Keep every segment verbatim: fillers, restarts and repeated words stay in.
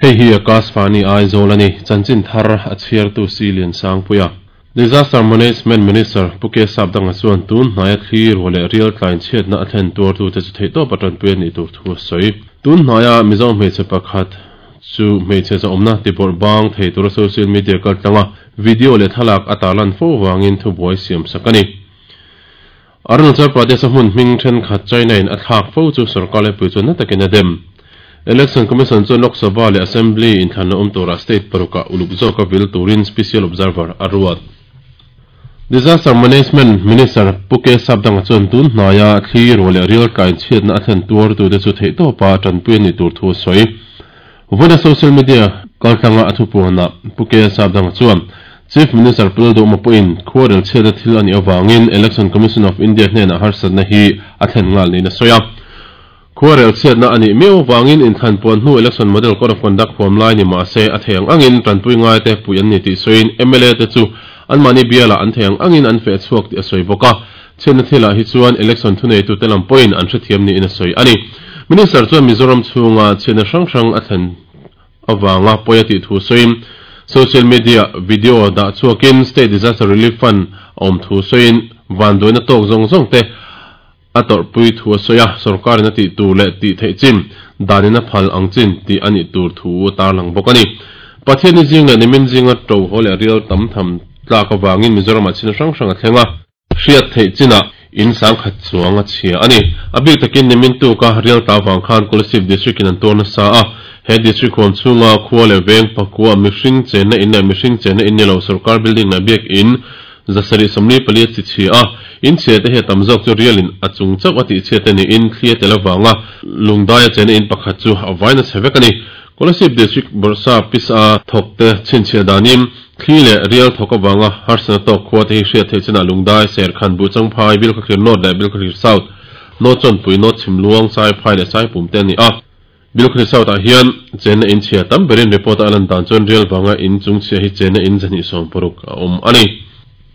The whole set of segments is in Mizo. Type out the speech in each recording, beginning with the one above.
Hei hi Akashvani Aizawl a ni. Chanchin thar a chhiartu si Lian Sangpuia. Disaster Management Minister Pu K Sapdanga chuan tun hnaia thli ruah leh rial tlain chhiatna a thlen tuartu te chu theihtawp a tanpui a nih tur thu a sawi. Tun hnaia Mizo hmeichhe pakhat chu hmeichhe zawmna tibawrh bang thei tura social media kaltlanga video leh thlalak a tarlan fo wangin thubuai siam sak a ni. Arunachal Pradesh a hmun hming thenkhat China in a thlak fo chu sarkar lepui chuan na takin a dem. Election Commission chuan Lok Sabha leh Assembly inthlanna awm tura state paruka uluk zawka vil turin Special Observer a ruat. Disaster Management Minister Pu K Sapdanga chuan tun hnaia thli ruah leh rial tlain chhiatna a thlen tuartu te chu theihtawpa tanpui a nih tur thu a sawi. Vawina social media kaltlanga a thupuana Pu K Sapdanga chuan Chief Minister Pu Lalduhoma pawhin khuarel chhiatna thil a nih awangin Election Commission of India hnenah harsatna hi a thlen ngal niin a sawi a. Khuarel chhiatna a nih miau wangin inthlan puan hnu Election Model Code of Conduct huam lai ni mah se a thei ang angin tanpui ngai te pui an ni tih sawiin M L A te chu anmahni biala an thei ang angin an feh chhuak tih a sawi bawk a. Chhiatna thilah hi chuan election thuneitu te lam pawhin an hrethiam niin a sawi a ni. Minister chuan Mizoram chhunga chhiatna hrang hrang a thlen awanga pawi a tih thu sawiin social media video dah chhuakin State Disaster Relief Fund a awm thu sawiin vanduaina tawk zawng zawng te a tawrhpui thu a sawi a, sarkarin a tih tur leh tih theih chin danin a phal ang chin tih a nih tur thu a tarlang bawk a ni. Pathian zing leh nimin zinga to haw leh rial tam tham tlak awangin Mizoram ah chin hrang hrang a thleng a. Hriat theih chinah in sang khat chuang a chhia a ni. A bik takin nimin tu ka rial ta wang khan Kolasib District in an tuarna sa a. He district huam chhunga khua leh veng pakua mihring chenna in leh mihring chenna in ni lo sarkar building leh biak in zasari somli pali chi chi a. In chhia te he tam zawk chu rialin a chung chauh a tih chhia te ni in thlia te lawanga lungdai a chenna in pakhat chu a vaina chhevek a ni. Kolasib District Borsa Pisa thok te chinchhia danin thli leh rial thok awanga harsana tawk khua te hi hriat theih chinah lungdai ser khan bu changphai Bilkhawthlir North leh Bilkhawthlir South North Chawnpui North Chhimluang Sai Phai leh Sai Pum te ani a. Bilkhawthlir South ah hian chenna in chhia tam berin report a lan dan chuan rial wanga in chung chhia hi chenna in zahnih sawm paruk a awm a ni.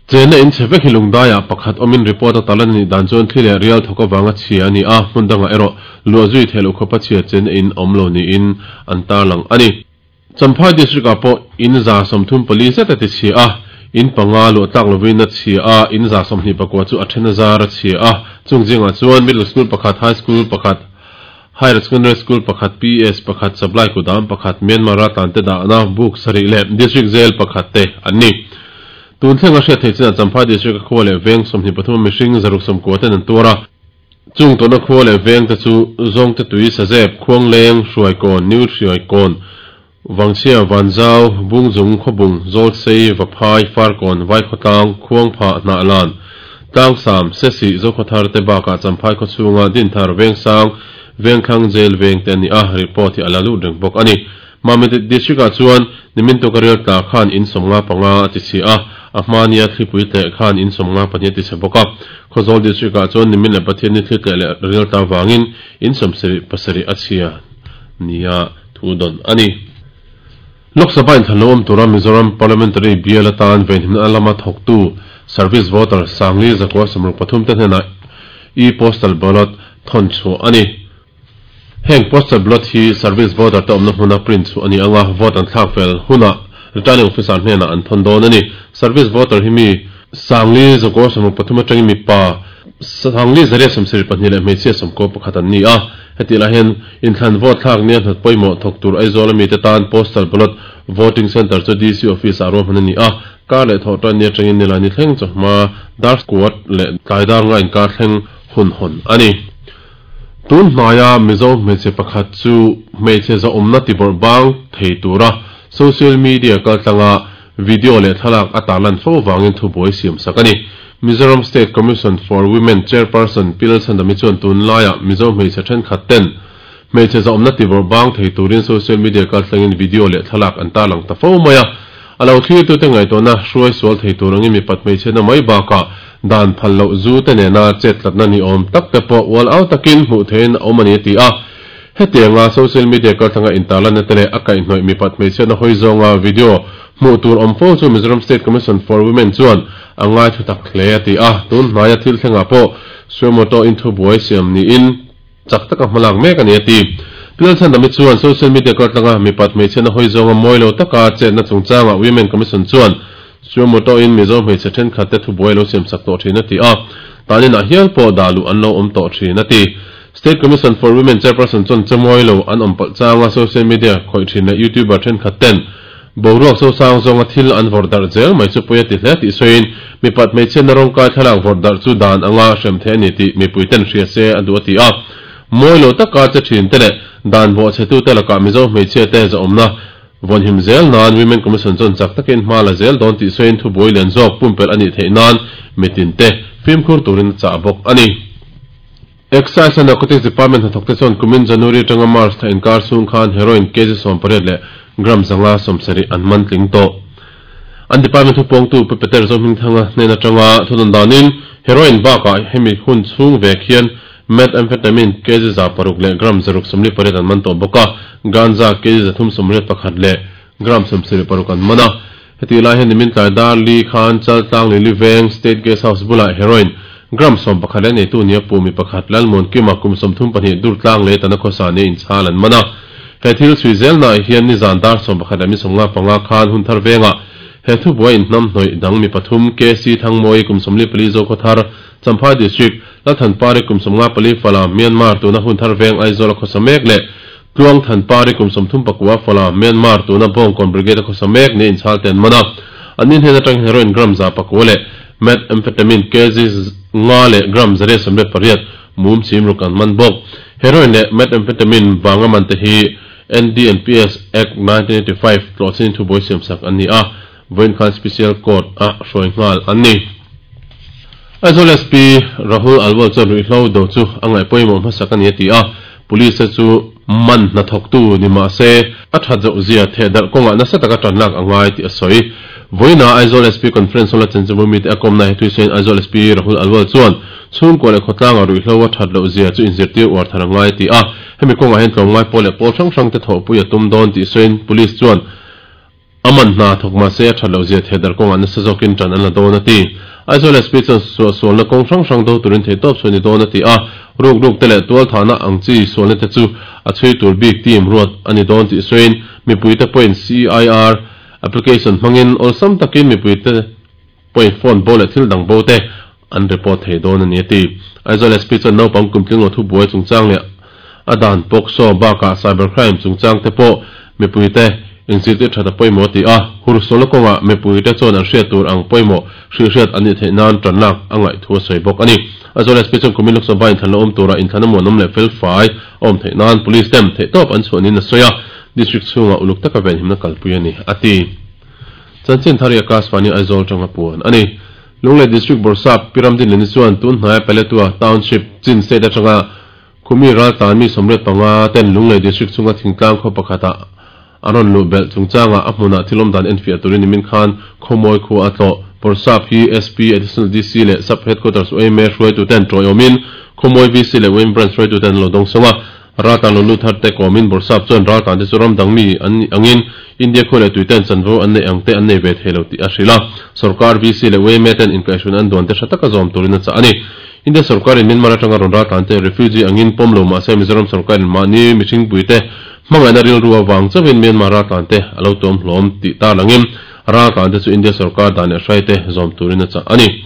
Chenna in chhevek hi lungdai ah pakhat awmin report a talan ani dan chuan thli leh rial thok awanga chhia ani a, hmun danga erawh luah zui theih loh khawpa chhia chenna in awm lo niin an tarlang a ni. Champhai District ah pawh in za sawmthum pali zet a ti chhia a, in panga luah tlak lovin a chhia a, in za sawmhnih pakua chu a then a zar a chhia a. Chung zingah chuan middle school pakhat, high school pakhat, higher secondary school pakhat, P S pakhat, supply kudam pakhat, Myanmar a tlan te dahna book sarih leh district jail pakhat te an ni. Tun thleng a hriat theih chinah Champhai District a khua leh veng sawmhnih pathum mihring zaruk sawmkua ten an tuar a. Chung tawna khua leh veng te chu zawng te tui sazep, khuang leng, hruai kawn, new hruai kawn, wangchhia vanzau, bungzung khawbung, zawl sei, vaphai, farkawn, vai khawtlang, khuang pha hnah lan, tlang sam, sesi, zokhawthar te bakah Champhai khaw chhunga dinthar veng sang, veng thlang jail veng te ani a, report hi a la lut reng bawk a ni. Mamit District ah chuan nimin tu ka rial tla khan in sawmnga panga a ti chhi a, a hmania thlipui tle khan in sawmnga pahnih a ti chhe bawk a. Khawzawl District ah chuan nimin leh Pathian ni thli tle leh rial tla wangin in sawmsarih pasarih a chhia nia thu dawn a ni. Lok Sabha inthlan lo awm tura Mizoram Parliamentary bial atan venhimna alama thawktu Service Voter Sangli Zakua Samruk pathum te hnenah e-postal ballot thawn chu a ni. Heng postal ballot hi service voter te awmna hmuna print chu ani anga vote an thlak fel huna returning officer hnenah an thawn dawn a ni. Service voter hi mi Sangli Zakua Samruk pathum atangin mi pa Sangli Zaria sawmsarih pahnih leh hmeichhia sawmkaw pakhat an ni a. Heti lah hian inthlan vote thlak nia hnat pawimawh thawk tur Aizawl ami te tan postal ballot voting center chu D C office ah ruahman ani a. Kar leh thawh tan ni atangin nilai ni thleng chawhma dar squad leh tlai dar nga inkar thleng hun hawn a ni. Tun hnaia Mizo hmeichhe pakhat chu hmeichhe zawmna tibawrh bang thei tura social media kaltlanga video leh thlalak a tarlan fo wangin thubuai siam sak a ni. Mizoram State Commission for Women Chairperson Pi Lalchhandami chuan tun laia Mizo hmeichhe thenkhat ten hmeichhe zawmna tibawrh bang thei turin social media kaltlangin video leh thlalak an tarlang ta fo mai a. A lo thlir tu te ngaihtuahna hruai sual thei tur angin mipat hmeichhe na mai bakah dan phal loh zu te nena chet tlatna ni awm tak te pawh ual au takin hmuh theiin a awm ani a ti a. Hetianga social media kaltlanga intarlanna te leh a kaihhnawih mipat hmeichhe na hawi zawnga video hmuh tur awm fo chu Mizoram State Commission for Women chuan a ngai thu tak hle a ti a. Tun hnaia thil thlengah pawh suamoto in thubuai siam niin chak taka hmalak mek ani a ti. Pilal Chhandami chuan social media kaltlanga mipat hmeichhiatna hawi zawnga mawi lo taka chetna chungchanga Women Commission chuan suo-moto in Mizo hmeichhe thenkhat te thubuai lo siam sak tawh thin a ti a, tanin ah hial pawh dah luh an lo awm tawh thin a ti. State Commission for Women chairperson chuan chamawi lo an awm palh changa social media khawih thin leh YouTuber thenkhat ten boruak so sang zawnga thil an vawrh darh zel mai chu pawi a ti hle tih sawiin mipat hmeichhiatna rawngkai thlalak vawrh darh chu dan anga hrem theih a ni tih mipui ten hria se a duh a ti a. Mawi lo taka che thin te leh dan bawh chhe tu te lakah Mizo hmeichhia te zahawmna vawnhim zel nan Women Commission chuan chak takin hma la zel dawn tih sawiin thubuai lian zawk pumpelh a nih theih nan mitin te fimkhur turin a chah bawk a ni. Excise and Narcotics Department hnathawk te chuan kumin January atanga March thla inkar chhung khan heroin kg sawm pariat leh gram zanga sawmsarih an man tling tawh. An department thupawngtu Pu Peter Zohmingthanga hnen atanga thudawn danin heroin bakah hemi hun chhung vek hian methamphetamine kg za paruk leh gram zaruk sawmli pariat an man tawh bawk a, ganja kg zathum sawmriat pakhat leh gram sawmsarih paruk an man a. Heti lai hian nimin tlai dar li khan Chaltlang Lili Veng State Guest House bulah heroin gram sawm pakhat leh neitu nia pu mi pakhat Lalmuan Kima kum sawmthum pahnih Durtlang leh Tana khawsa nia inchhal an man a. He thil chhui zelnaah hian nizan dar sawm pakhat leh mi sawmnga panga khan hun thar vengah he thubuai inhnam hnawih dang mi pathum K C Thangmawi kum sawmli pali Zokhawthar Champhai District Lalthanpari kum sawmnga pali Fala Myanmar tuna hun thar veng Aizawl a khawsa mek leh Tluang Thanpari kum sawmthum pakua Fala Myanmar tuna Bawngkawn Brigade a khawsa mek nia inchhal te an man a. An ni hnen atang heroin gram za pakua leh methamphetamine kg nga leh gram zariat sawmriat pariat mum chim ruk an man bawk. Heroin leh methamphetamine vanga man te hi N D N P S Act nineteen eighty-five tlawhchin thubuai siam sak an ni a, vawiin khan Special Court a hruai nghal an ni. Aizawl S P Rahul Alwal chuan ruihhlo do chu a ngaih pawimawh hmasak a ni a ti a, police te chu man hnathawktu ni mah se a that zoh zia thehdarh kawngah nasa taka tan lak a ngai tih a sawi. Vawiina Aizawl S P Conference Hall a chanchinbu mite a kawmna he thuisawiin Aizawl S P Rahul Alwal chuan chhungkua leh khawtlanga ruihhlo a that loh zia chu inzirtir uar thar a ngai a ti a, hemi kawngah hian tlawmngai pawl leh pawl hrang hrang te thawhpui a tum dawn tih sawiin police chuan a man hna thawk mah se a that loh zia thehdarh kawngah nasa zawkin tan an la dawn a ti. Aizawl S P chuan suahsualna kawng hrang hrang do turin theihtawp chhuah ni dawn a ti a, ruk ruk te leh tual thahna ang chi sualna te chu a chhui tur bik team ruat a ni dawn tih sawiin mipui te pawhin C I R application hmangin awlsam takin mipui te pawhin phone bo leh thil dang bo te an report thei dawn a ni a ti. Aizawl S P chuan naupang kumtling lo thubuai chungchang leh a dan POCSO bakah cybercrime chungchang te pawh mipui te inzirtir that a pawimawh a ti a, hursualna kawngah mipui te chuan an hriat tur ang pawimawh hrihhriat an nih theih nan tan lak a ngaih thu a sawi bawk a ni. Aizawl S P chuan kumin Lok Sabha inthlan la awm turah inthlan a muanawm leh fel fai a awm theih nan police ten theihtawp an chhuah niin a sawi a, district chhungah uluk taka venhimna kalpui a ni a ti. Chanchin thar i Akashvani Aizawl tanga puan a ni. Lunglei District Bawrhsap Pi Ramdin Leni chuan tun hnaia Paletwa Township Chin State atanga Khumi raltlan mi sawmriat panga ten Lunglei District chhunga thingtlang khaw pakhatah a rawn luh belh chungchangah a hmunah thil awm dan enfiah turin nimin khan khawmawi khua a tlawh. Bawrhsap hi S P, Additional D C leh Sub Headquarters U M A hruaitu ten tawiawmin khawmawi V C leh U M Branch hruaitu ten an lo dawng sawng a. Raltlan lo lut thar te kawmin Bawrhsap chuan raltlan te chu ram dang mi an nih angin India khaw leh tui ten chanvo an neih ang te an nei ve thei lo tih a hrilh a. Sorkar V C leh U M A ten inkaihhruin an duan te hra taka zawm turin a chah a ni. India sorkarin Myanmar atanga rawn raltlan te refugee angin pawm lo mah se Mizoram sorkarin mahni mihringpui te hmangaihna rilru avang chauhin Myanmar raltlan te a lo tuam hlawm tih tar langin raltlan te chu India sorkar dan leh hrai te zawm turin a chah a ni.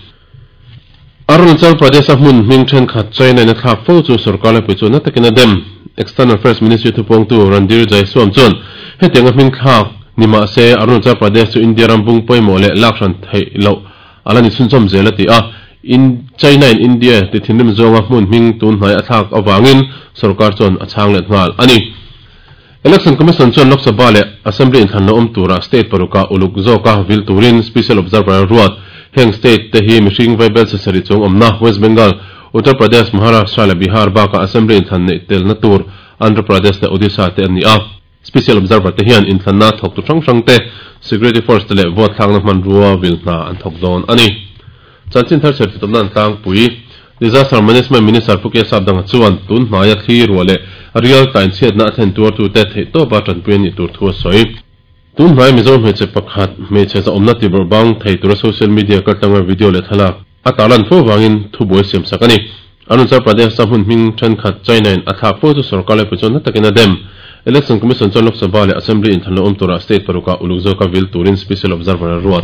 Arunachal Pradesh a hmun hming thenkhat China in a thlak fo chu sorkar laipui chu na takin a dem. External Affairs Ministry thupawngtu Randhir Jaiswal chuan hetiang a hming thlak ni mah se Arunachal Pradesh chu India ram bung pawimawh leh lakhran theih loh a la ni chhunchawm zel a ti a. In China in India ti thinrim zawnga hmun hming tun hnai a thlak awangin sorkar chuan a chhang let nghal a ni. Election Commission chuan Lok Sabha leh Assembly inthlan lo awm turah state paruka uluk zawka vil turin Special Observer ruat. Heng state te hi mihring vaibel chesarih chung awmna West Bengal, Uttar Pradesh, Maharashtra leh Bihar bakah Assembly inthlan neih telna tur Andhra Pradesh leh Odisha te an ni a. Special Observer te hian inthlanna thawk tu hrang hrang te, Security Force te leh vote thlakna hmanrua vil hna an thawk dawn a ni. Chanchin thar chher titawpna an tlangpui. Disaster Management Minister Pu K Sapdanga chuan tun hnaia thli ruah leh rial tlai chhiatna a thlen tuartu te theihtawpa tanpui a nih tur thu a sawi. Tun hnai Mizo hmeichhe pakhat hmeichhe zahawmna tibawrh bang thei tura social media kaltlanga video leh thlalak a tarlan fo vangin thubuai siam sak a ni. Arunachal Pradesh a hmun hming thenkhat China in a thlak fo chu sorkar laipui chuan na takin a dem. Election Commission chuan Lok Sabha leh Assembly inthlan lo awm tura state parukah uluk zawka vil turin Special Observer a ruat.